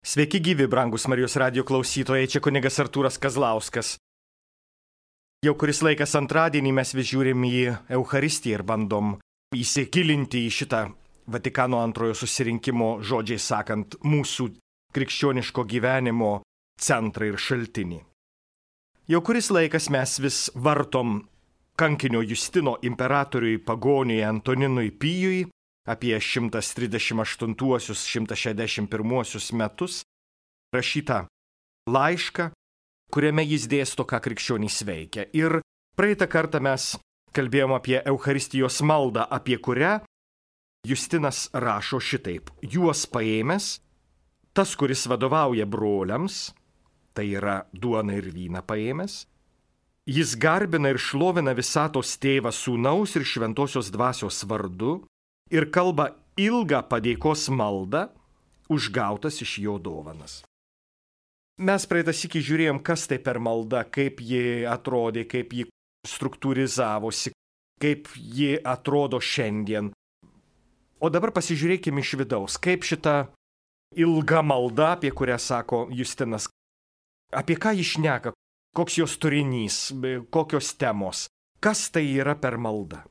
Sveiki gyvi, brangus Marijos radijo klausytojai, čia kunigas Artūras Kazlauskas. Jau kuris laikas antradienį mes vis žiūrim į Eucharistiją ir bandom įsigilinti į šitą Vatikano antrojo susirinkimo, žodžiai sakant, mūsų krikščioniško gyvenimo centrą ir šaltinį. Jau kuris laikas mes vis vartom kankinio Justino imperatoriui pagoniui Antoninui Pijui apie 138-161 metus rašytą laišką, kuriame jis dėsto, ką krikščionys veikia. Ir praeitą kartą mes kalbėjom apie Eucharistijos maldą, apie kurią Justinas rašo šitaip. Juos paėmęs, tas, kuris vadovauja broliams, tai yra duoną ir vyną paėmęs, jis garbina ir šlovina visatos tėvą sūnaus ir šventosios dvasios vardu ir kalba ilgą padėkos maldą, užgautas iš jo dovanas. Mes praeitą sykį žiūrėjom, kas tai per malda, kaip ji atrodė, kaip ji struktūrizavosi, kaip ji atrodo šiandien. O dabar pasižiūrėkime iš vidaus, kaip šita ilga malda, apie kurią sako Justinas, apie ką ji šneka, koks jos turinys, kokios temos, kas tai yra per malda.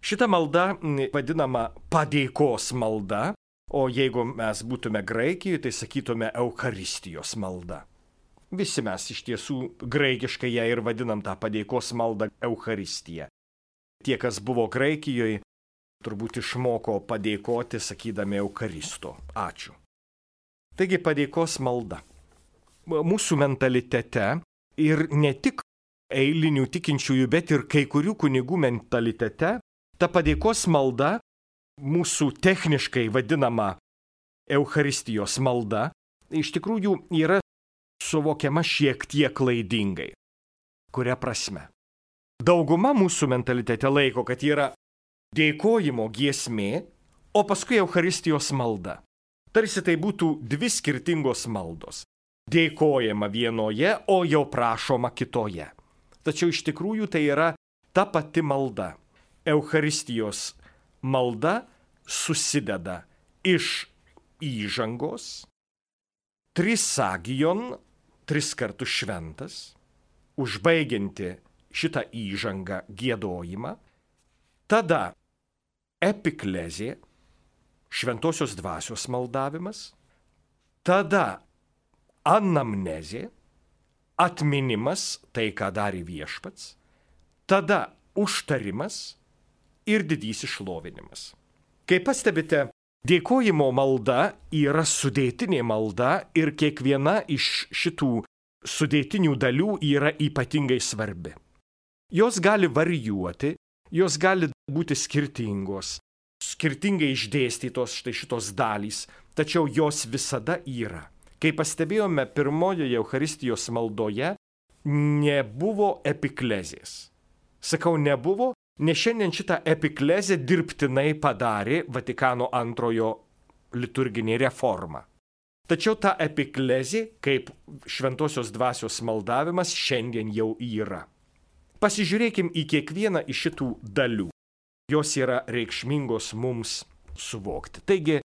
Šita malda vadinama padėkos malda, o jeigu mes būtume Graikijoje, tai sakytume Eucharistijos malda. Visi mes iš tiesų graikiškai ją ir vadinam tą padėkos maldą Eucharistiją. Tie, kas buvo Graikijoje, turbūt išmoko padėkoti, sakydami Eucharisto. Ačiū. Taigi padėkos malda. Mūsų mentalitete ir ne tik eilinių tikinčiųjų, bet ir kai kurių kunigų mentalitete, ta padėkos malda, mūsų techniškai vadinama Eucharistijos malda, iš tikrųjų yra suvokiama šiek tiek klaidingai. Kuria prasme? Dauguma mūsų mentalitete laiko, kad yra dėkojimo giesmė, o paskui Eucharistijos malda. Tarsi tai būtų dvi skirtingos maldos. Dėkojama vienoje, o jau prašoma kitoje. Tačiau iš tikrųjų tai yra ta pati malda. Eucharistijos malda susideda iš įžangos, trisagion, 3 kartus šventas, užbaigianti šitą įžangą giedojimą, tada epiklezė, šventosios dvasios maldavimas, tada anamnezė, atminimas, tai ką darė viešpats, tada užtarimas ir didysis šlovinimas. Kaip pastebite, dėkojimo malda yra sudėtinė malda ir kiekviena iš šitų sudėtinių dalių yra ypatingai svarbi. Jos gali varijuoti, jos gali būti skirtingos, skirtingai išdėstytos štai šitos dalys, tačiau jos visada yra. Kaip pastebėjome pirmojoje Eucharistijos maldoje, nebuvo epiklezės. Sakau, nebuvo, nes šiandien šitą epiklezę dirbtinai padarė Vatikano antrojo liturginė reforma. Tačiau ta epiklezė, kaip šventosios dvasios maldavimas, šiandien jau yra. Pasižiūrėkim į kiekvieną iš šitų dalių. Jos yra reikšmingos mums suvokti. Taigi,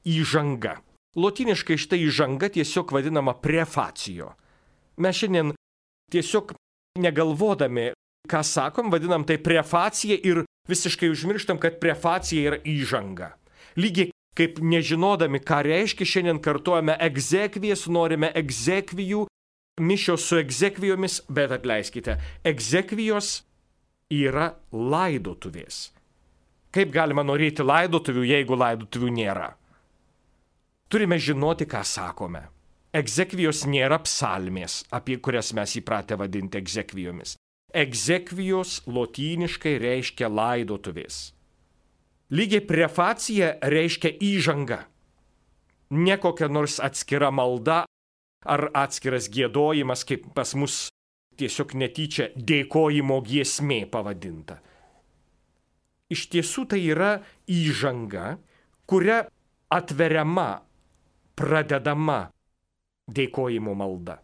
įžanga. Lotyniškai štai įžanga tiesiog vadinama prefacijo. Mes šiandien tiesiog negalvodami, ką sakom, vadinam tai prefacija ir visiškai užmirštam, kad prefacija yra įžanga. Lygiai kaip nežinodami, ką reiškia, šiandien kartuojame egzekvijas, norime egzekvijų, mišios su egzekvijomis, bet atleiskite, egzekvijos yra laidotuvės. Kaip galima norėti laidotuvių, jeigu laidotuvių nėra? Turime žinoti, ką sakome. Egzekvijos nėra psalmės, apie kurias mes įpratę vadinti egzekvijomis. Egzekvijos lotyniškai reiškia laidotuvės. Lygiai prefacija reiškia įžanga. Ne kokia nors atskira malda ar atskiras giedojimas, kaip pas mus tiesiog netyčia dėkojimo giesmė pavadinta. Iš tiesų tai yra įžanga, kuria atveriama, pradedama dėkojimo malda.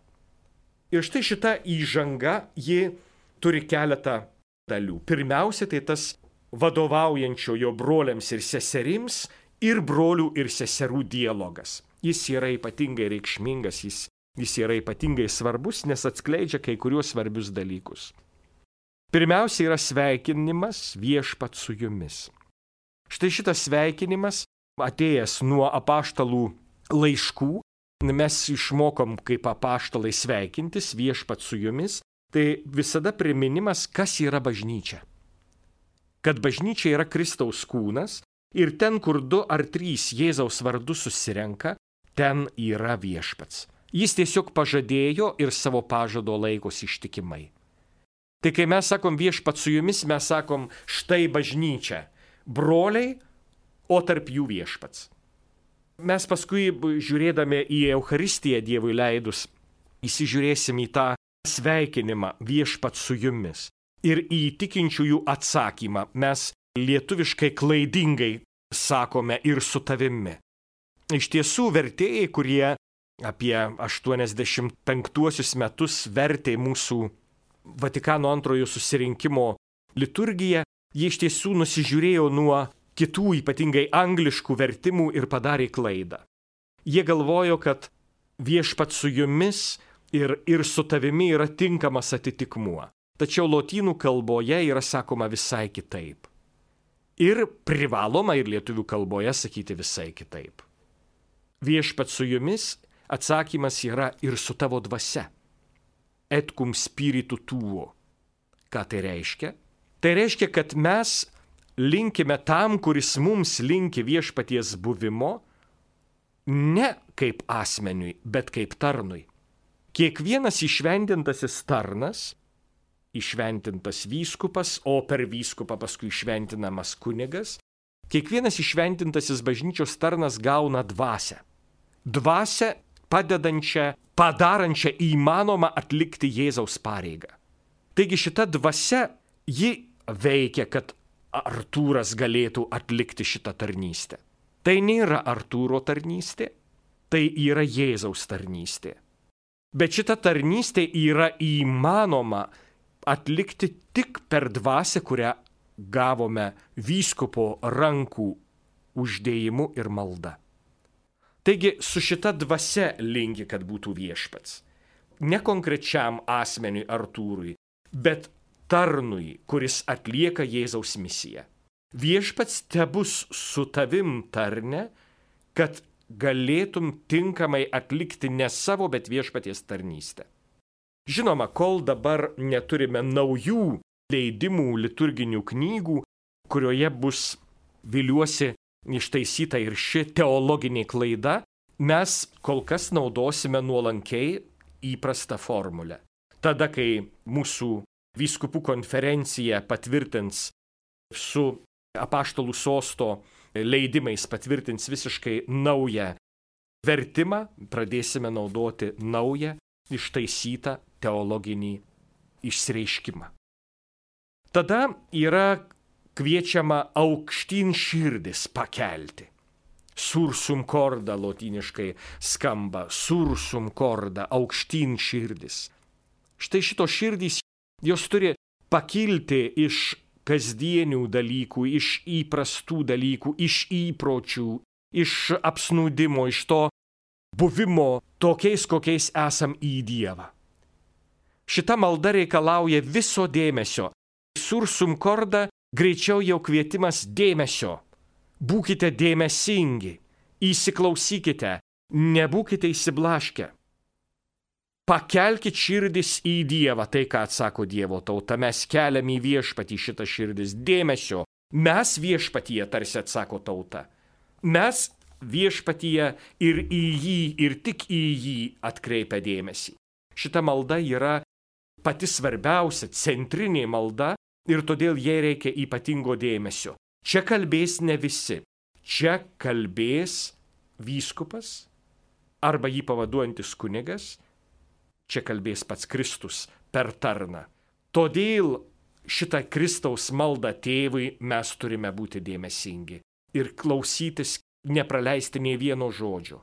Ir štai šita įžanga, ji turi keletą dalių. Pirmiausia, tai tas vadovaujančiojo broliams ir seserims ir brolių ir seserų dialogas. Jis yra ypatingai reikšmingas, jis yra ypatingai svarbus, nes atskleidžia kai kuriuos svarbius dalykus. Pirmiausia yra sveikinimas viešpat su jumis. Štai šitas sveikinimas atėjęs nuo apaštalų laiškų. Mes išmokom kaip apaštalai sveikintis viešpat su jumis. Tai visada priminimas, kas yra bažnyčia. Kad bažnyčia yra Kristaus kūnas ir ten, kur 2 ar 3 Jėzaus vardu susirenka, ten yra viešpats. Jis tiesiog pažadėjo ir savo pažado laikosi ištikimai. Tai kai mes sakom viešpats su jumis, mes sakom štai bažnyčia, broliai, o tarp jų viešpats. Mes paskui, žiūrėdami į Eucharistiją Dievui leidus, įsižiūrėsim į tą sveikinimą viešpats su jumis ir į tikinčiųjų atsakymą. Mes lietuviškai klaidingai sakome ir su tavimi. Iš tiesų vertėjai, kurie apie 85 metus vertė mūsų Vatikano antrojo susirinkimo liturgiją, jie iš tiesų nusižiūrėjo nuo kitų ypatingai angliškų vertimų ir padarė klaidą. Jie galvojo, kad viešpats su jumis ir su tavimi yra tinkamas atitikmuo. Tačiau lotynų kalboje yra sakoma visai kitaip. Ir privaloma ir lietuvių kalboje sakyti visai kitaip. Viešpats su jumis atsakymas yra ir su tavo dvasia. Et cum spiritu tuo. Ką tai reiškia? Tai reiškia, kad mes linkime tam, kuris mums linki viešpaties buvimo, ne kaip asmeniui, bet kaip tarnui. Kiekvienas įšventintasis tarnas, įšventintas vyskupas, o per vyskupą paskui įšventinamas kunigas, kiekvienas įšventintasis bažnyčios tarnas gauna dvasią. Dvasią padedančią, padarančią įmanomą atlikti Jėzaus pareigą. Taigi šita dvasia, ji veikia, kad Artūras galėtų atlikti šitą tarnystę. Tai nėra Artūro tarnystė, tai yra Jėzaus tarnystė. Bet šita tarnystė yra įmanoma atlikti tik per dvasią, kurią gavome vyskupo rankų uždėjimu ir malda. Taigi su šita dvasia linki, kad būtų viešpats. Ne konkrečiam asmeniui Artūrui, bet tarnui, kuris atlieka Jėzaus misiją. Viešpats tebus su tavim tarne, kad galėtum tinkamai atlikti ne savo, bet viešpaties tarnystę. Žinoma, kol dabar neturime naujų leidimų liturginių knygų, kurioje bus, viliuosi, ištaisyta ir ši teologinė klaida, mes kol kas naudosime nuolankiai įprastą formulę. Tada, kai mūsų vyskupų konferencija patvirtins su apaštalų sosto leidimais patvirtins visiškai naują vertimą, pradėsime naudoti naują, ištaisytą teologinį išsireiškimą. Tada yra kviečiama aukštyn širdis pakelti. Sursum corda lotyniškai skamba, sursum corda, aukštyn širdis. Štai šitos širdys, jos turi pakilti iš kasdienių dalykų, iš įprastų dalykų, iš įpročių, iš apsnūdimo, iš to buvimo tokiais, kokiais esam į Dievą. Šita malda reikalauja viso dėmesio. Sursum corda greičiau jau kvietimas dėmesio. Būkite dėmesingi, įsiklausykite, nebūkite įsiblaškę. Pakelkit širdis į Dievą, tai ką atsako Dievo tauta, mes keliam į viešpatį šitą širdis dėmesio. Mes viešpatyje, tarsi atsako tauta. Mes viešpatyje ir į jį, ir tik į jį atkreipia dėmesį. Šita malda yra pati svarbiausia, centrinė malda ir todėl jai reikia ypatingo dėmesio. Čia kalbės ne visi. Čia kalbės vyskupas arba jį pavaduojantis kunigas. Čia kalbės pats Kristus per tarną. Todėl šitą Kristaus maldą tėvui mes turime būti dėmesingi ir klausytis, nepraleisti nei vieno žodžio.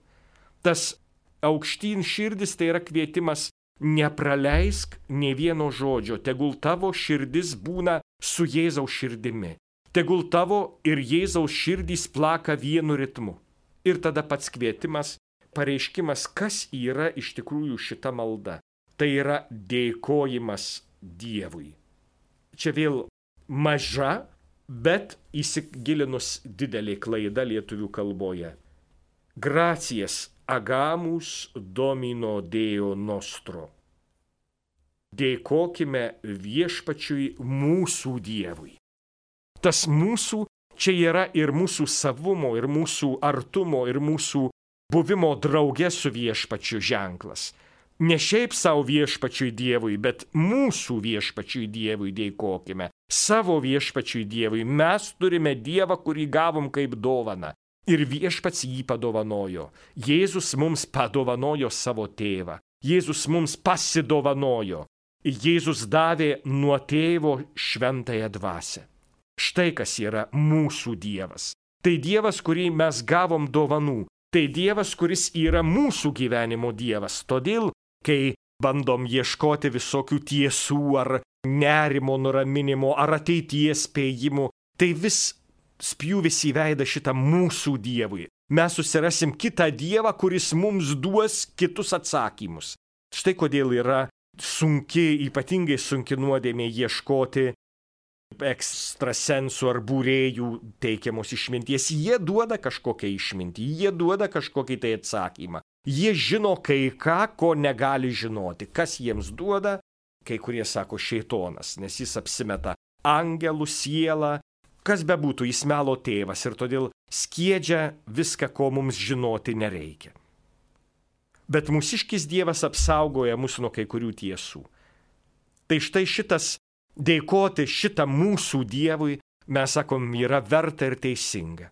Tas aukštyn širdis tai yra kvietimas nepraleisk nei vieno žodžio, tegul tavo širdis būna su Jėzaus širdimi. Tegul tavo ir Jėzaus širdys plaka vienu ritmu. Ir tada pats kvietimas pareiškimas, kas yra iš tikrųjų šita malda. Tai yra dėkojimas Dievui. Čia vėl maža, bet įsigilinus didelė klaida lietuvių kalboje. Gracijas agamus domino Deo nostro. Dėkokime viešpačiui mūsų Dievui. Tas mūsų čia yra ir mūsų savumo, ir mūsų artumo, ir mūsų buvimo drauge su viešpačiu ženklas. Ne šiaip savo viešpačiui Dievui, bet mūsų viešpačiui Dievui dėkokime. Savo viešpačiui Dievui. Mes turime Dievą, kurį gavom kaip dovaną. Ir viešpats jį padovanojo. Jėzus mums padovanojo savo tėvą. Jėzus mums pasidovanojo. Jėzus davė nuo tėvo šventąją dvasią. Štai kas yra mūsų Dievas. Tai Dievas, kurį mes gavom dovanų. Tai Dievas, kuris yra mūsų gyvenimo Dievas. Todėl, kai bandom ieškoti visokių tiesų ar nerimo nuraminimo ar ateities spėjimų, tai vis spjūvis į veidą šitą mūsų Dievui. Mes susirasim kitą Dievą, kuris mums duos kitus atsakymus. Štai kodėl yra ypatingai sunki nuodėmė ieškoti ekstrasensų ar būrėjų teikiamos išminties. Jie duoda kažkokią išmintį, jie duoda kažkokį tai atsakymą. Jie žino kai ką, ko negali žinoti. Kas jiems duoda? Kai kurie sako šėtonas, nes jis apsimeta angelų sielą. Kas bebūtų, jis melo tėvas ir todėl skiedžia viską, ko mums žinoti nereikia. Bet mūsiškis Dievas apsaugoja mus nuo kai kurių tiesų. Tai štai šitas dėkoti šitą mūsų Dievui, mes sakom, yra verta ir teisinga.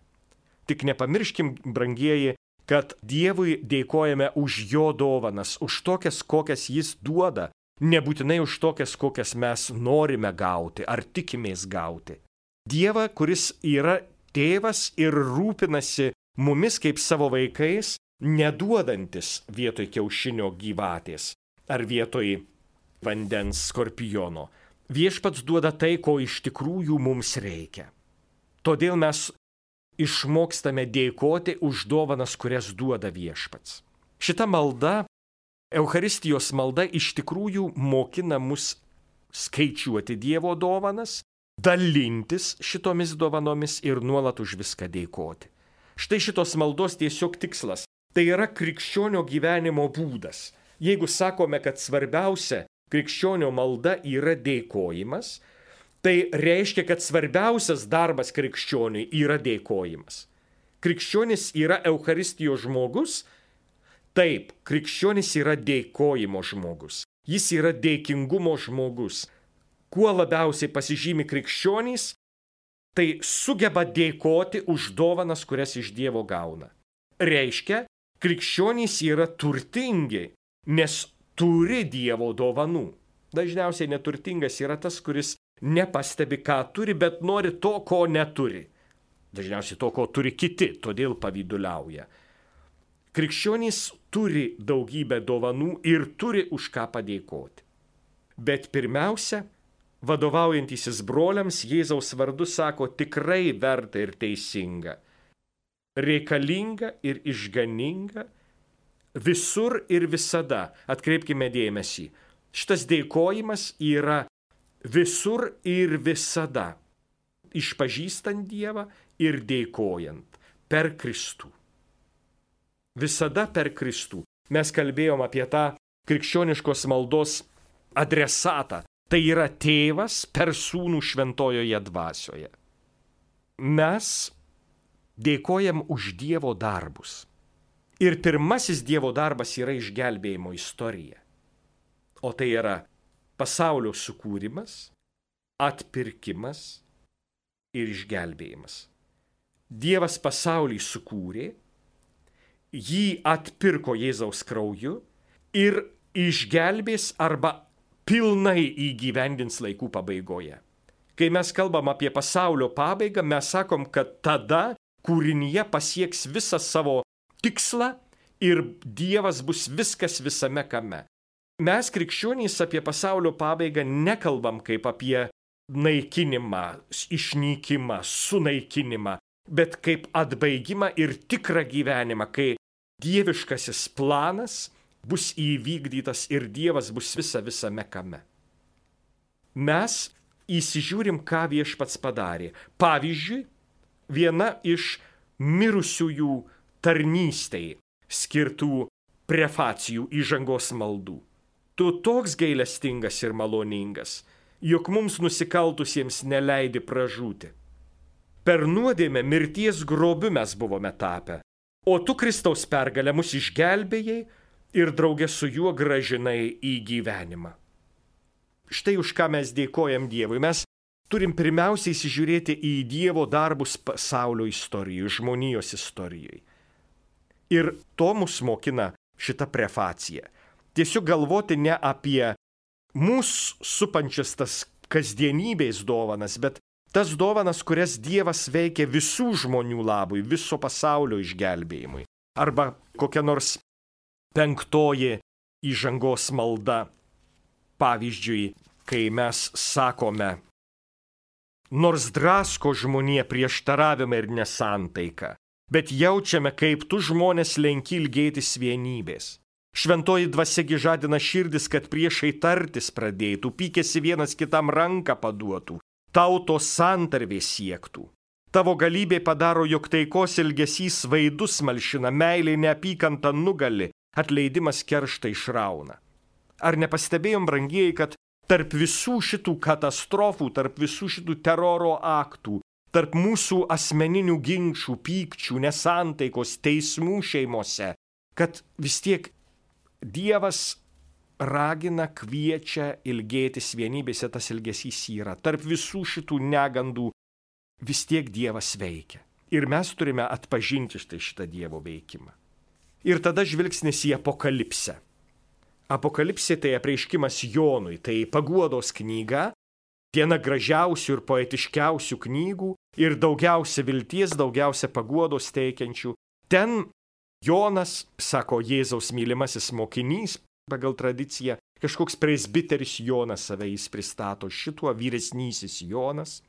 Tik nepamirškim, brangieji, kad Dievui dėkojame už jo dovanas, už tokias, kokias jis duoda, nebūtinai už tokias, kokias mes norime gauti ar tikimės gauti. Dievą, kuris yra tėvas ir rūpinasi mumis kaip savo vaikais, neduodantis vietoj kiaušinio gyvatės ar vietoj vandens skorpiono. Viešpats duoda tai, ko iš tikrųjų mums reikia. Todėl mes išmokstame dėkoti už dovanas, kurias duoda viešpats. Šita malda, Eucharistijos malda, iš tikrųjų mokina mus skaičiuoti Dievo dovanas, dalintis šitomis dovanomis ir nuolat už viską dėkoti. Štai šitos maldos tiesiog tikslas. Tai yra krikščionio gyvenimo būdas. Jeigu sakome, kad svarbiausia krikščionio malda yra dėkojimas, tai reiškia, kad svarbiausias darbas krikščioniui yra dėkojimas. Krikščionis yra Eucharistijos žmogus? Taip, krikščionis yra dėkojimo žmogus. Jis yra dėkingumo žmogus. Kuo labiausiai pasižymi krikščionys, tai sugeba dėkoti už dovanas, kurias iš Dievo gauna. Reiškia, krikščionys yra turtingi, nes turi Dievo dovanų. Dažniausiai neturtingas yra tas, kuris nepastebi, ką turi, bet nori to, ko neturi. Dažniausiai to, ko turi kiti, todėl pavyduliauja. Krikščionys turi daugybę dovanų ir turi už ką padėkoti. Bet pirmiausia, vadovaujantysis broliams Jėzaus vardu sako tikrai verta ir teisinga, reikalinga ir išganinga, visur ir visada. Atkreipkime dėmesį, šitas dėkojimas yra visur ir visada, išpažįstant Dievą ir dėkojant per Kristų. Visada per Kristų. Mes kalbėjom apie tą krikščioniškos maldos adresatą. Tai yra tėvas per sūnų šventojoje dvasioje. Mes dėkojam už Dievo darbus. Ir pirmasis Dievo darbas yra išgelbėjimo istorija. O tai yra pasaulio sukūrimas, atpirkimas ir išgelbėjimas. Dievas pasaulį sukūrė, jį atpirko Jėzaus krauju ir išgelbės arba pilnai įgyvendins laikų pabaigoje. Kai mes kalbam apie pasaulio pabaigą, mes sakom, kad tada kūrinyje pasieks visą savo tikslą ir Dievas bus viskas visame kame. Mes krikščionys apie pasaulio pabaigą nekalbam kaip apie naikinimą, išnykimą, sunaikinimą, bet kaip atbaigimą ir tikrą gyvenimą, kai dieviškasis planas bus įvykdytas ir Dievas bus visame kame. Mes įsižiūrim, ką Viešpats padarė. Pavyzdžiui, viena iš mirusiųjų tarnystei skirtų prefacijų įžangos maldų. Tu toks gailestingas ir maloningas, jog mums nusikaltusiems neleidi pražūti. Per nuodėmę mirties grobiu mes buvome tapę, o tu Kristaus pergalę mus išgelbėjai ir draugė su juo gražinai į gyvenimą. Štai už ką mes dėkojam Dievui. Mes turim pirmiausiai įsižiūrėti į Dievo darbus pasaulio istorijoje, žmonijos istorijoje. Ir to mus mokina šita prefacija. Tiesiog galvoti ne apie mūsų supančias tas kasdienybės dovanas, bet tas dovanas, kurias Dievas veikia visų žmonių labui, viso pasaulio išgelbėjimui. Arba kokia nors 5 įžangos malda. Pavyzdžiui, kai mes sakome, nors drasko žmonija prieštaravimą ir nesantaiką, bet jaučiame, kaip tu žmonės lenki ilgėtis vienybės. Šventoji dvasiagi žadina širdis, kad priešai tartis pradėtų, pykėsi vienas kitam ranką paduotų, tautos santarvės siektų. Tavo galybė padaro, jog taikos ilgesys vaidus malšina, meilė neapykanta nugali, atleidimas kerštą išrauna. Ar nepastebėjom, brangieji, kad tarp visų šitų katastrofų, tarp visų šitų teroro aktų, tarp mūsų asmeninių ginčių, pykčių, nesantaikos, teismų šeimose, kad vis tiek Dievas ragina, kviečia ilgėtis vienybėse, tas ilgesys yra. Tarp visų šitų negandų vis tiek Dievas veikia. Ir mes turime atpažinti šitą Dievo veikimą. Ir tada žvilgsnis į Apokalipsę. Apokalipsė tai apreiškimas Jonui, tai paguodos knyga, viena gražiausių ir poetiškiausių knygų ir daugiausia vilties, daugiausia paguodos teikiančių. Ten Jonas, sako Jėzaus mylimasis mokinys, pagal tradiciją, kažkoks presbiteris Jonas save jis pristato, šituo vyresnysis Jonas.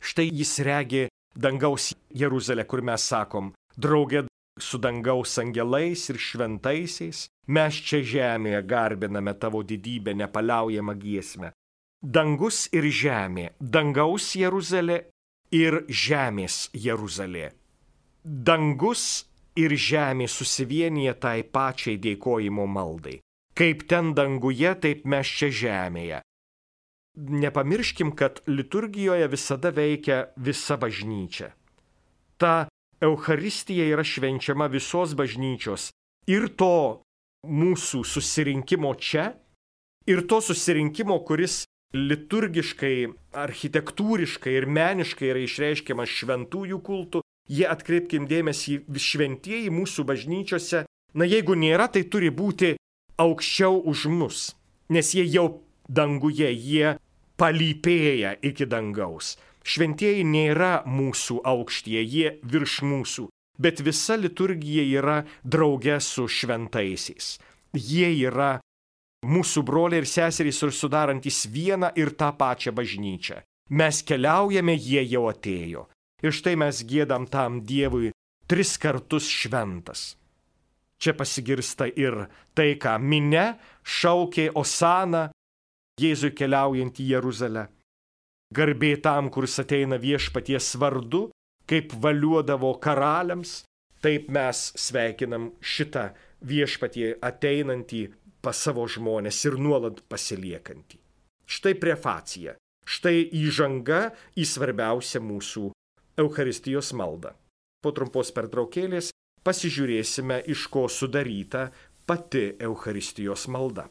Štai jis regi dangaus Jeruzalę, kur mes sakom, draugė su dangaus angelais ir šventaisiais, mes čia žemėje garbiname tavo didybę, nepaliaujamą giesmę. Dangus ir žemė, dangaus Jeruzalė ir žemės Jeruzalė. Dangus ir žemė susivienyje tai pačiai dėkojimo maldai. Kaip ten danguje, taip mes čia žemėje. Nepamirškim, kad liturgijoje visada veikia visa bažnyčia. Ta Eucharistija yra švenčiama visos bažnyčios ir to mūsų susirinkimo čia, ir to susirinkimo, kuris liturgiškai, architektūriškai ir meniškai yra išreiškiamas šventųjų kultų. Jie, atkreipkim dėmesį, šventieji mūsų bažnyčiose, na jeigu nėra, tai turi būti aukščiau už mus, nes jie jau danguje, jie palypėja iki dangaus. Šventieji nėra mūsų aukštyje, jie virš mūsų, bet visa liturgija yra drauge su šventaisiais. Jie yra mūsų broliai ir seserys ir sudarantis vieną ir tą pačią bažnyčią. Mes keliaujame, jie jau atėjo. Ir štai mes giedam tam Dievui 3 kartus šventas. Čia pasigirsta ir tai, ką minia šaukė Osana, Jėzui keliaujant į Jeruzalę. Garbė tam, kuris ateina viešpaties vardu, kaip valiuodavo karaliams, taip mes sveikinam šitą viešpatie ateinantį pas savo žmonės ir nuolat pasiliekantį. Štai prefacija, štai įžanga į svarbiausią mūsų Eucharistijos maldą. Po trumpos pertraukėlės pasižiūrėsime, iš ko sudaryta pati Eucharistijos malda.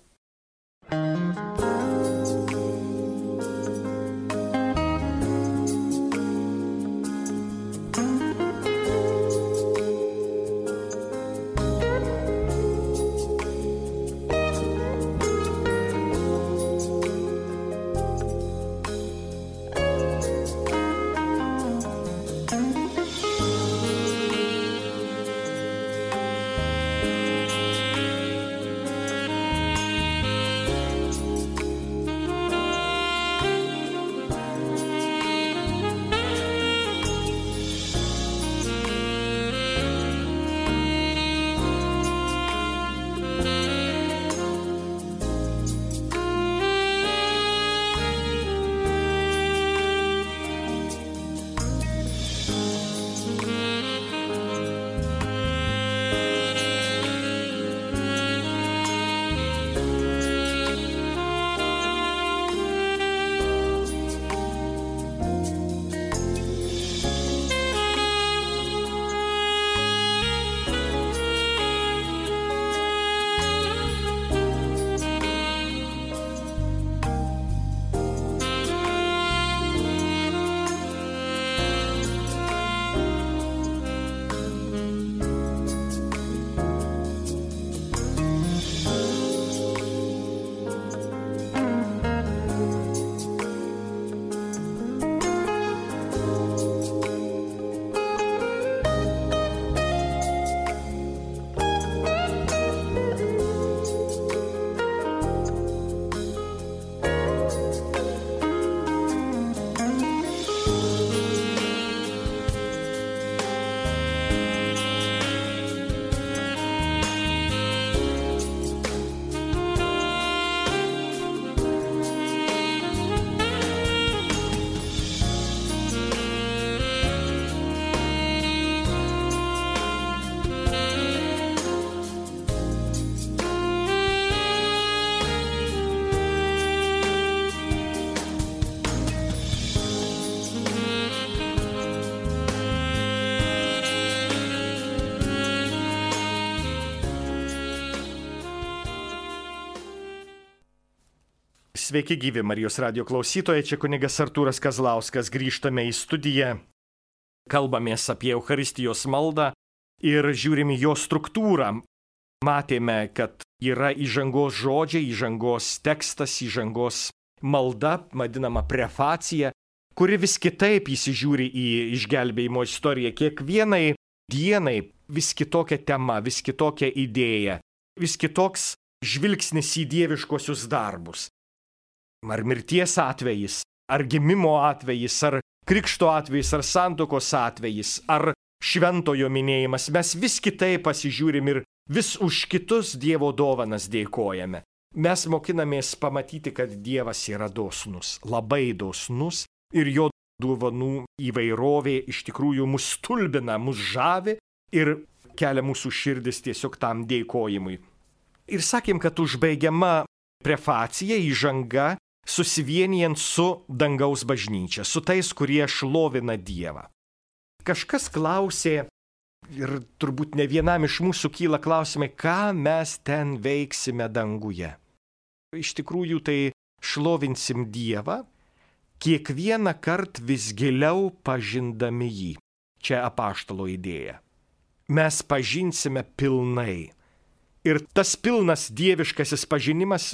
Sveiki gyvi Marijos radijo klausytojai, čia kunigas Artūras Kazlauskas, grįžtame į studiją, kalbamės apie Eucharistijos maldą ir žiūrime jo struktūrą. Matėme, kad yra įžangos žodžiai, įžangos tekstas, įžangos malda, vadinama prefacija, kuri vis kitaip įsižiūri į išgelbėjimo istoriją. Kiekvienai dienai vis kitokia tema, vis kitokia idėja, vis kitoks žvilgsnis į dieviškosius darbus. Ar mirties atvejis, ar gimimo atvejis, ar krikšto atvejis, ar santuokos atvejis, ar šventojo minėjimas, mes vis kitaip pasižiūrim ir vis už kitus Dievo dovanas dėkojame. Mes mokinamės pamatyti, kad Dievas yra dosnus, labai dosnus ir jo dovanų įvairovė iš tikrųjų mus stulbina, mus žavi ir kelia mūsų širdis tiesiog tam dėkojimui. Ir sakėm, kad užbaigiama prefacija, įžanga, susivienijant su dangaus bažnyčia, su tais, kurie šlovina Dievą. Kažkas klausė, ir turbūt ne vienam iš mūsų kyla klausimai, ką mes ten veiksime danguje. Iš tikrųjų, tai šlovinsim Dievą, kiekvieną kartą vis giliau pažindami jį. Čia apaštalo idėja. Mes pažinsime pilnai. Ir tas pilnas dieviškasis pažinimas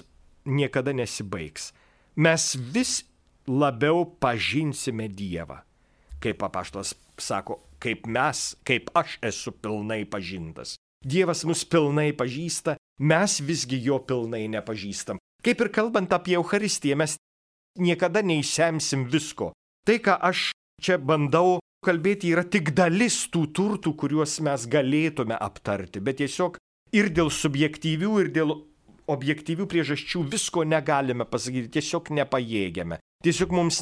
niekada nesibaigs. Mes vis labiau pažinsime Dievą. Kaip apaštalas sako, kaip aš esu pilnai pažintas. Dievas mus pilnai pažįsta, mes visgi jo pilnai nepažįstam. Kaip ir kalbant apie Eucharistiją, mes niekada neįsemsim visko. Tai, ką aš čia bandau kalbėti, yra tik dalis tų turtų, kuriuos mes galėtume aptarti, bet tiesiog ir dėl subjektyvių, ir dėl objektyvių priežasčių visko negalime pasakyti, tiesiog nepajėgiame. Tiesiog mums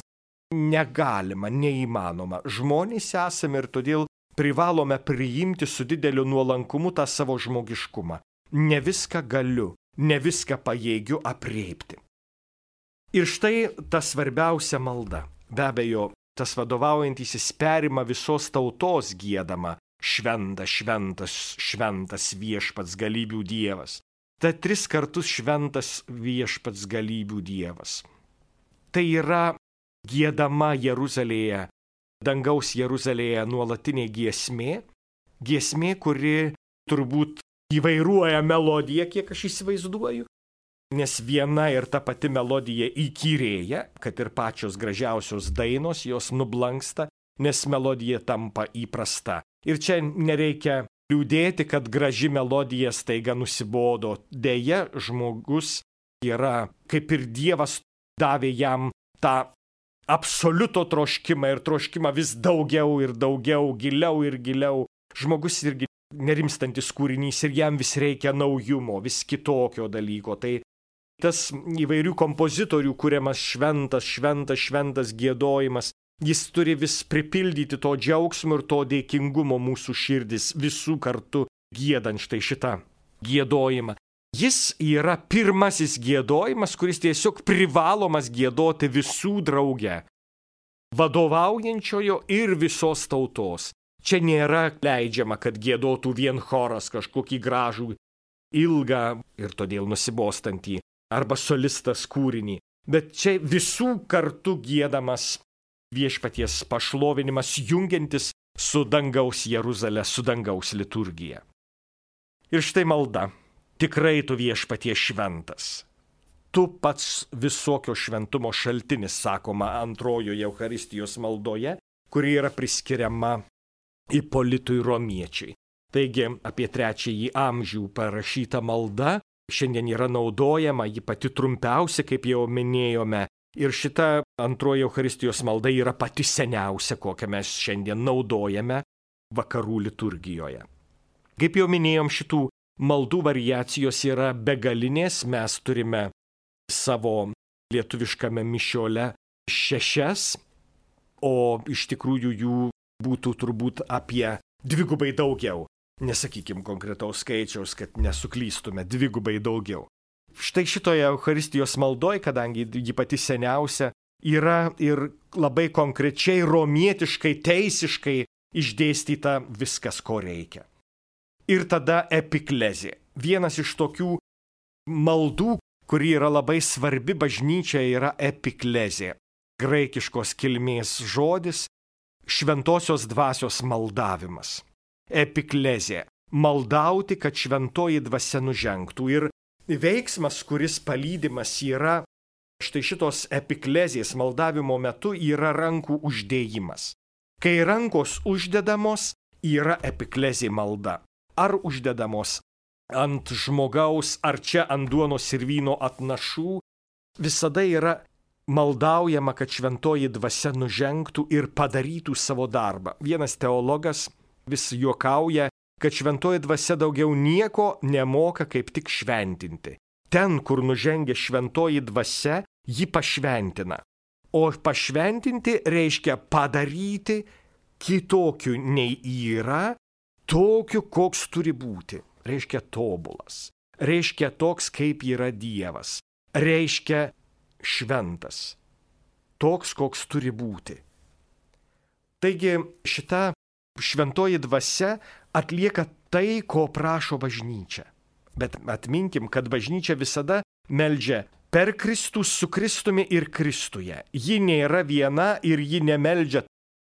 negalima, neįmanoma. Žmonės esame ir todėl privalome priimti su dideliu nuolankumu tą savo žmogiškumą. Ne viską galiu, ne viską pajėgiu apreipti. Ir štai ta svarbiausia malda. Be abejo, tas vadovaujantysis perima visos tautos giedama šventas, šventas, šventas viešpats galybių Dievas. Tai 3 kartus šventas viešpats galybių Dievas. Tai yra giedama Jeruzalėje, dangaus Jeruzalėje nuolatinė giesmė, kuri turbūt įvairuoja melodiją, kiek aš įsivaizduoju, nes viena ir ta pati melodija įkyrėja, kad ir pačios gražiausios dainos jos nublanksta, nes melodija tampa įprasta. Ir čia nereikia liūdėti, kad graži melodija staiga nusibodo. Deja, žmogus yra, kaip ir Dievas davė jam tą absoliuto troškimą ir troškimą vis daugiau ir daugiau, giliau ir giliau. Žmogus irgi nerimstantis kūrinys ir jam vis reikia naujumo, vis kitokio dalyko. Tai tas įvairių kompozitorių kuriamas šventas giedojimas, jis turi vis pripildyti to džiaugsmo ir to dėkingumo mūsų širdis visų kartu giedant štai šitą giedojimą. Jis yra pirmasis giedojimas, kuris tiesiog privalomas giedoti visų drauge, vadovaujančiojo ir visos tautos. Čia nėra leidžiama, kad giedotų vien choras kažkokį gražų, ilgą ir todėl nusibostantį, arba solistas kūrinį, bet čia visų kartu giedamas viešpaties pašlovinimas, jungiantis su dangaus Jeruzalė, su dangaus liturgija. Ir štai malda. Tikrai tu viešpatie šventas. Tu pats visokio šventumo šaltinis, sakoma antrojoje Eucharistijos maldoje, kuri yra priskiriama Ipolitui Romiečiui. Taigi apie 3 amžių parašyta malda šiandien yra naudojama, ji pati trumpiausia, kaip jau minėjome. Ir šita antroji Eucharistijos malda yra pati seniausia, kokią mes šiandien naudojame vakarų liturgijoje. Kaip jau minėjom, šitų maldų variacijos yra begalinės, mes turime savo lietuviškame mišiole 6, o iš tikrųjų jų būtų turbūt apie 2 daugiau. Nesakykim konkretaus skaičiaus, kad nesuklystume, 2 daugiau. Štai šitoje Eucharistijos maldoje, kadangi ji pati seniausia, yra ir labai konkrečiai, romietiškai, teisiškai išdėstyta viskas, ko reikia. Ir tada epiklezė. Vienas iš tokių maldų, kuri yra labai svarbi bažnyčia, yra epiklezė. Graikiškos kilmės žodis šventosios dvasios maldavimas. Epiklezė. Maldauti, kad šventoji dvasia nužengtų. Ir veiksmas, kuris palydimas yra štai šitos epiklezės maldavimo metu, yra rankų uždėjimas. Kai rankos uždedamos, yra epiklezė malda. Ar uždedamos ant žmogaus, ar čia ant duonos ir vyno atnašų, visada yra maldaujama, kad šventoji dvasia nužengtų ir padarytų savo darbą. Vienas teologas vis juokauja, kad šventoji dvasia daugiau nieko nemoka kaip tik šventinti. Ten, kur nužengia šventoji dvasia, ji pašventina. O pašventinti reiškia padaryti kitokiu nei yra, tokiu, koks turi būti. Reiškia tobulas. Reiškia toks, kaip yra Dievas. Reiškia šventas. Toks, koks turi būti. Taigi šita šventoji dvasia atlieka tai, ko prašo bažnyčia. Bet atminkim, kad bažnyčia visada meldžia per Kristų, su Kristumi ir Kristuje. Ji nėra viena ir ji nemeldžia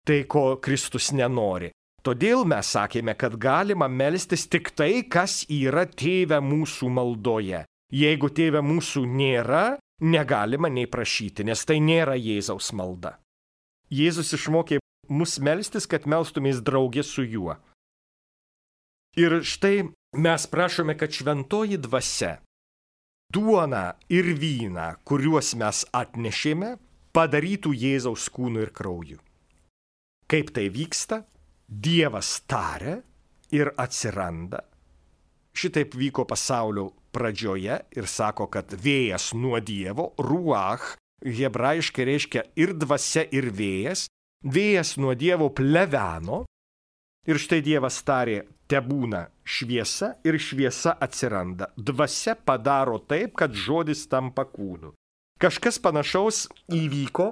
tai, ko Kristus nenori. Todėl mes sakėme, kad galima melstis tik tai, kas yra Tėve mūsų maldoje. Jeigu Tėve mūsų nėra, negalima nei prašyti, nes tai nėra Jėzaus malda. Jėzus išmokė mus melstis, kad melstumės draugė su juo. Ir štai mes prašome, kad šventoji dvasia duoną ir vyną, kuriuos mes atnešėme, padarytų Jėzaus kūnu ir krauju. Kaip tai vyksta? Dievas taria ir atsiranda. Šitaip vyko pasaulio pradžioje ir sako, kad vėjas nuo Dievo, ruach, hebrajiškai reiškia ir dvasia, ir vėjas. Vėjas nuo Dievo pleveno ir štai Dievas tarė, tebūna šviesa ir šviesa atsiranda. Dvasia padaro taip, kad žodis tampa kūnu. Kažkas panašaus įvyko,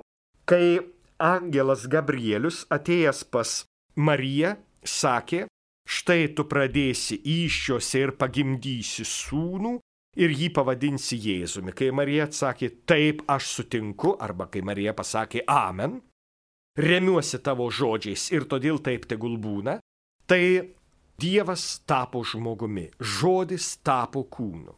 kai angelas Gabrielius atėjęs pas Mariją sakė, štai tu pradėsi įsčiose ir pagimdysi sūnų ir jį pavadinsi Jėzumi. Kai Marija atsakė, taip aš sutinku, arba kai Marija pasakė amen, remiuosi tavo žodžiais ir todėl taip tegul būna, tai Dievas tapo žmogumi, žodis tapo kūnu.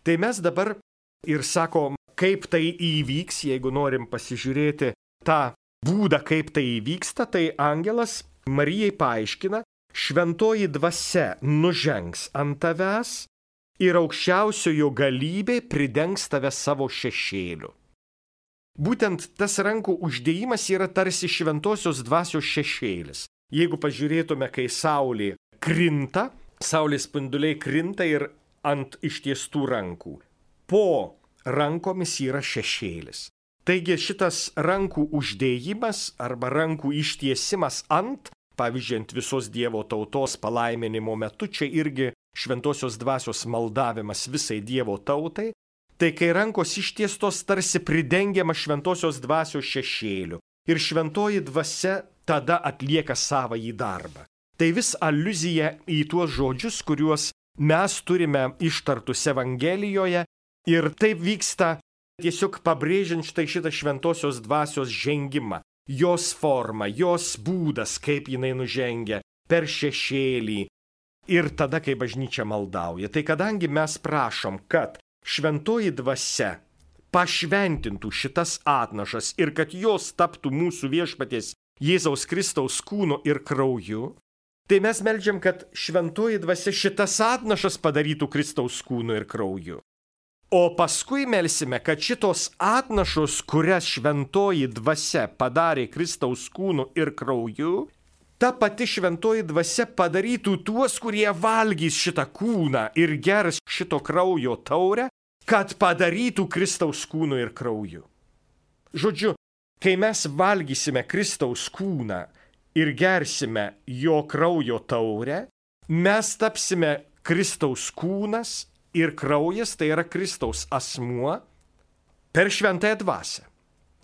Tai mes dabar ir sakom, kaip tai įvyks, jeigu norim pasižiūrėti tą būdą, kaip tai įvyksta, tai angelas Marijai paaiškina, šventoji dvasia nužengs ant tavęs ir aukščiausiojo galybė pridengs tave savo šešėliu. Būtent tas rankų uždėjimas yra tarsi šventosios dvasios šešėlis. Jeigu pažiūrėtume, kai saulė krinta, saulės spinduliai krinta ir ant ištiestų rankų. Po rankomis yra šešėlis. Taigi šitas rankų uždėjimas arba rankų ištiesimas ant, pavyzdžiui, ant visos Dievo tautos palaiminimo metu, čia irgi šventosios dvasios maldavimas visai Dievo tautai, tai kai rankos ištiestos tarsi pridengiama šventosios dvasios šešėliu ir šventoji dvasia tada atlieka savąjį darbą. Tai vis aliuzija į tuos žodžius, kuriuos mes turime ištartus Evangelijoje ir taip vyksta tiesiog pabrėžiant šitą šventosios dvasios žengimą, jos formą, jos būdas, kaip jinai nužengia per šešėlį ir tada, kai bažnyčia maldauja. Tai kadangi mes prašom, kad šventoji dvasia pašventintų šitas atnašas ir kad jos taptų mūsų viešpaties Jėzaus Kristaus kūnu ir krauju, tai mes meldžiam, kad šventoji dvasia šitas atnašas padarytų Kristaus kūnu ir krauju. O paskui melsime, kad šitos atnašos, kurias šventoji dvasia padarė Kristaus kūnu ir krauju, ta pati šventoji dvasia padarytų tuos, kurie valgys šitą kūną ir gers šito kraujo taurę, kad padarytų Kristaus kūnu ir krauju. Žodžiu, kai mes valgysime Kristaus kūną ir gersime jo kraujo taurę, mes tapsime Kristaus kūnas ir kraujas, tai yra Kristaus asmuo, per šventąją dvasią.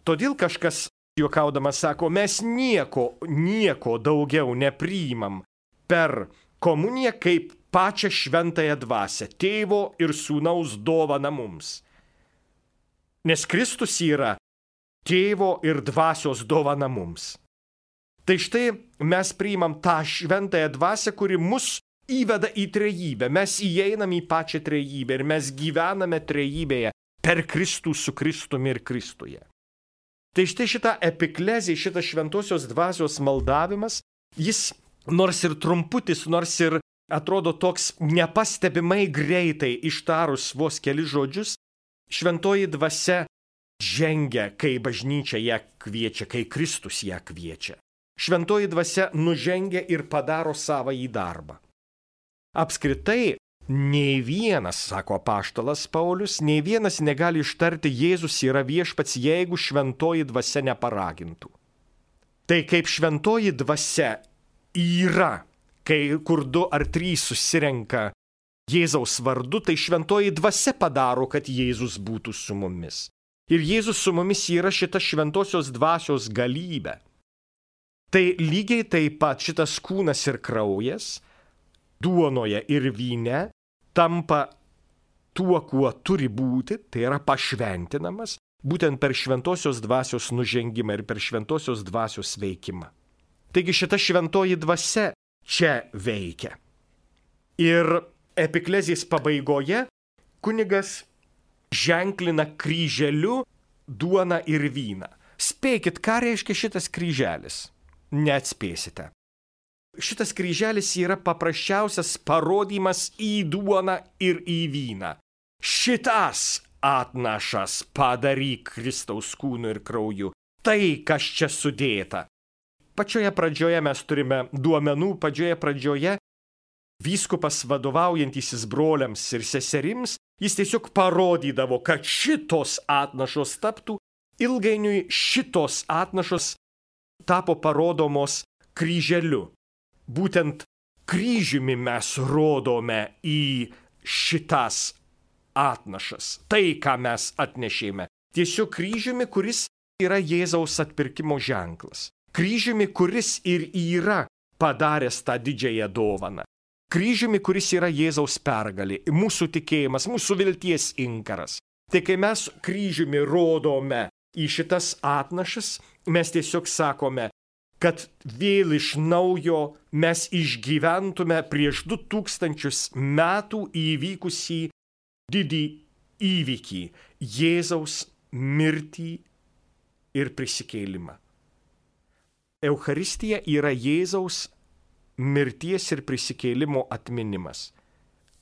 Todėl kažkas juokaudamas sako, mes nieko daugiau nepriimam per komuniją kaip pačią šventąją dvasią, tėvo ir sūnaus dovaną mums. nes Kristus yra Tėvo ir Dvasios dovana mums. Tai štai mes priimam tą šventąją dvasią, kuri mus įveda į trejybę. Mes įeinam į pačią trejybę ir mes gyvename trejybėje per Kristų su Kristumi ir Kristuje. Tai štai šita epiklezija, šitas šventosios dvasios maldavimas, jis nors ir trumputis, nors ir atrodo toks nepastebimai greitai ištarus vos keli žodžius, šventoji dvasia žengia, kai bažnyčia ją kviečia, kai Kristus ją kviečia. Šventoji dvasia nužengia ir padaro savąjį darbą. Apskritai, nei vienas, sako apaštalas Paulius, nei vienas negali ištarti Jėzus yra viešpats, jeigu šventoji dvasia neparagintų. Tai kaip šventoji dvasia yra, kur 2 ar 3 susirenka Jėzaus vardu, tai šventoji dvasia padaro, kad Jėzus būtų su mumis. Ir Jėzus su mumis yra šita šventosios dvasios galybė. Tai lygiai taip pat šitas kūnas ir kraujas duonoje ir vyne tampa tuo, kuo turi būti, tai yra pašventinamas, būtent per šventosios dvasios nužengimą ir per šventosios dvasios veikimą. Taigi šita šventoji dvasia čia veikia. Ir epiklezijos pabaigoje kunigas ženklina kryželiu duoną ir vyną. Spėkit, ką reiškia šitas kryželis? Neatspėsite. Šitas kryželis yra paprasčiausias parodymas į duoną ir į vyną. Šitas atnašas padaryk Kristaus kūnu ir krauju. Tai, kas čia sudėta. Pačioje pradžioje mes turime duomenų, pačioje pradžioje vyskupas vadovaujantysis broliams ir seserims, jis tiesiog parodydavo, kad šitos atnašos taptų, ilgainiui šitos atnašos tapo parodomos kryželiu. Būtent kryžiumi mes rodome į šitas atnašas, tai, ką mes atnešėme. Tiesiog kryžiumi, kuris yra Jėzaus atpirkimo ženklas. Kryžiumi, kuris ir yra padaręs tą didžiąją dovaną. Kryžiumi, kuris yra Jėzaus pergalė, mūsų tikėjimas, mūsų vilties inkaras. Tai kai mes kryžiumi rodome į šitas atnašas, mes tiesiog sakome, kad vėl iš naujo mes išgyventume prieš 2000 metų įvykusį didį įvykį – Jėzaus mirtį ir prisikėlimą. Eucharistija yra Jėzaus mirties ir prisikėlimo atminimas.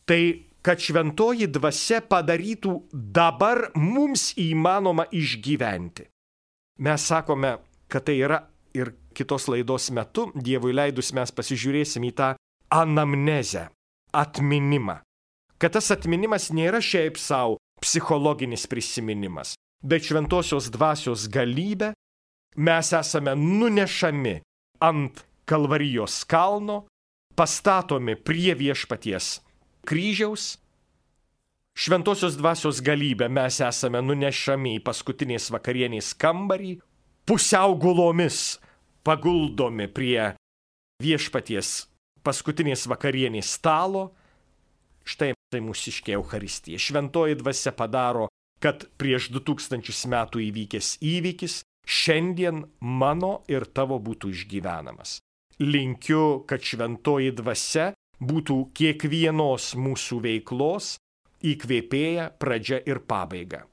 Tai, kad šventoji dvasia padarytų dabar mums įmanoma išgyventi. Mes sakome, kad tai yra ir kitos laidos metu, Dievui leidus, mes pasižiūrėsim į tą anamnezę, atminimą. Kad tas atminimas nėra šiaip savo psichologinis prisiminimas, bet šventosios dvasios galybė mes esame nunešami ant Kalvarijos kalno, pastatomi prie viešpaties kryžiaus. Šventosios dvasios galybė mes esame nunešami į paskutinės vakarienės kambarį, pusiau gulomis paguldomi prie viešpaties paskutinės vakarienės stalo. Štai tai mūsiškė Eucharistija. Šventoji dvasia padaro, kad prieš 2000 metų įvykęs įvykis šiandien mano ir tavo būtų išgyvenamas. Linkiu, kad šventoji dvasia būtų kiekvienos mūsų veiklos įkvėpėja, pradžia ir pabaiga.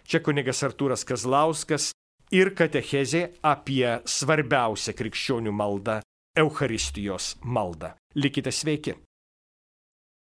Čia kunigas Artūras Kazlauskas ir katechezė apie svarbiausią krikščionių maldą – Eucharistijos maldą. Likite sveiki.